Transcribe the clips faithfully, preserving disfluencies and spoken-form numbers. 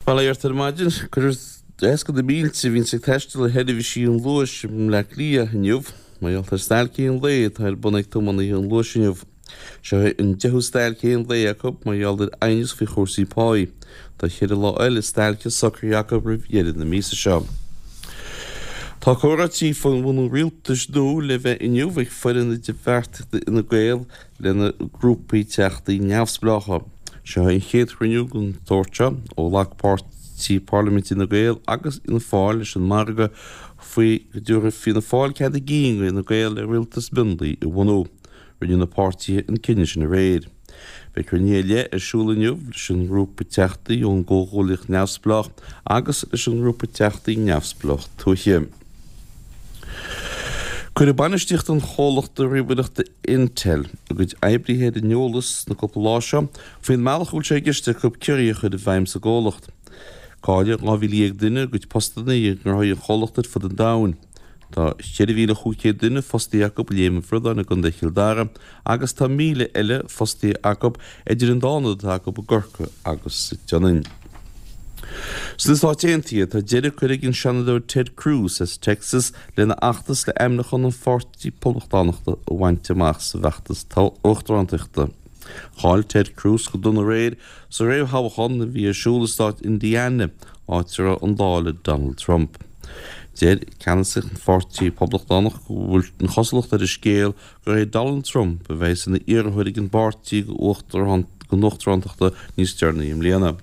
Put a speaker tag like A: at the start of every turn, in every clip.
A: Bail ó Dhia ort ar maidin, cuirfear éasca do na mílte a bhíonns ag taisteal ar sheirbhísí an Luais i mBleá Cliath inniu mar gheall ar stailc aon lae atá ar bun ag tiománaithe an Luais inniu. Seo é an deichiú stailc aon lae acu mar gheall ar aighneas faoi chúrsaí páí. Tá ceithre lá eile stailce socraithe acu roimh dheireadh na míosa seo. Tá comhráití faoi bhunú rialtais nua le bheith inniu ag foireann idirbheartaíochta Fhine Gael lena grúpaí teachtaí neamhspleácha. Seo é an chéad chruinniú den tsórt seo ó ghlac páirtí parlaiminte Fhine Gael agus Fianna Fáil leis an margadh faoi go dtabharfaidh Fianna Fáil cead a gcinn do Fhine Gael le rialtas mionlaigh a bhunú. Rinne na páirtithe an cinneadh sin aréir. Beidh cruinnithe ar leith ar siúl inniu leis an ngrúpa teachtaí ón gComhghuaillíocht Neamhspleách agus leis an ngrúpa teachtaí neamhspleách tuaithe. Cuireadh bainistíocht an chomhlachta ríomhaireachta Intel a gcuid oibrithe ar an eolas sna cúpla lá seo faoin mbealach a bhfuil sé i gceist acu ciorruithe a chur i bhfeidhm sa gcomhlacht. Caillfidh dhá mhíle dhéag duine a gcuid postanna i ngnóthaí an chomhlachta ar fud an domhain. Tá ceithre mhíle chúig chéad duine fostaithe acu i Léim an Bhradáin i gContae Chill Dara agus tá míle eile fostaithe acu idir an dá ionad atá acu i gCorcaigh agus sa tSionainn. Sna Stáit Aontaithe, tá deireadh curtha ag an Seanadóir Ted Cruz as Texas lena fheachtas le ainmniúchán an Pháirtí Poblachtánachta a bhaint amach sa bhfeachtas uachtarántachta. Chaill Ted Cruz go dona aréir sa réamhthoghchán a bhí ar siúl i stát Indiana, áit a raibh an lá le Donald Trump. Deir ceannasaí an Pháirtí Poblachtánach go bhfuil an chosúlacht ar an scéal gur é Donald Trump a bheas ina iarrthóir ag an bpáirtí don uachtarántacht níos deireanaí i mbliana.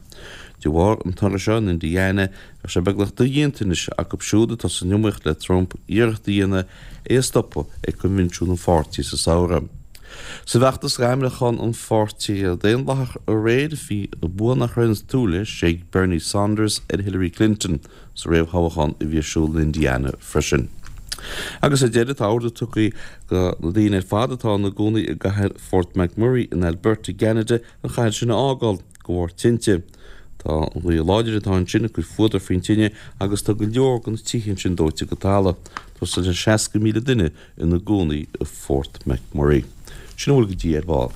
A: De bharr an toradh seo in Indiana, bheadh sé beagnach dodhéanta anois acu siúd atá san iomaíocht le Trump iarracht a dhéanamh é a stopadh ag coinbhinsiún an pháirtí sa samhradh. Sa bhfeachtas d'ainmniúchán an pháirtí Daonlathach aréir, bhí bua nach raibh ag súil leis ag Bernie Sanders ar Hillary Clinton sa réamhthoghchán a bhí ar siúl in Indiana freisin. Agus ar deireadh, tá ordú tugtha do na daoine ar fad atá ina gcónaí i gcathair Fort McMurray in Alberta i gCeanada an chathair sin a fhágáil de bharr tinte. Tá an ghaoth láidir atá ansin ag cur fuadar faoin tine agus tá go leor de na tithe ansin dóite go talamh. Tá suas le seasca míle duine ina gcónaí i Fort McMurray. Sin a bhfuil go dtí ar ball.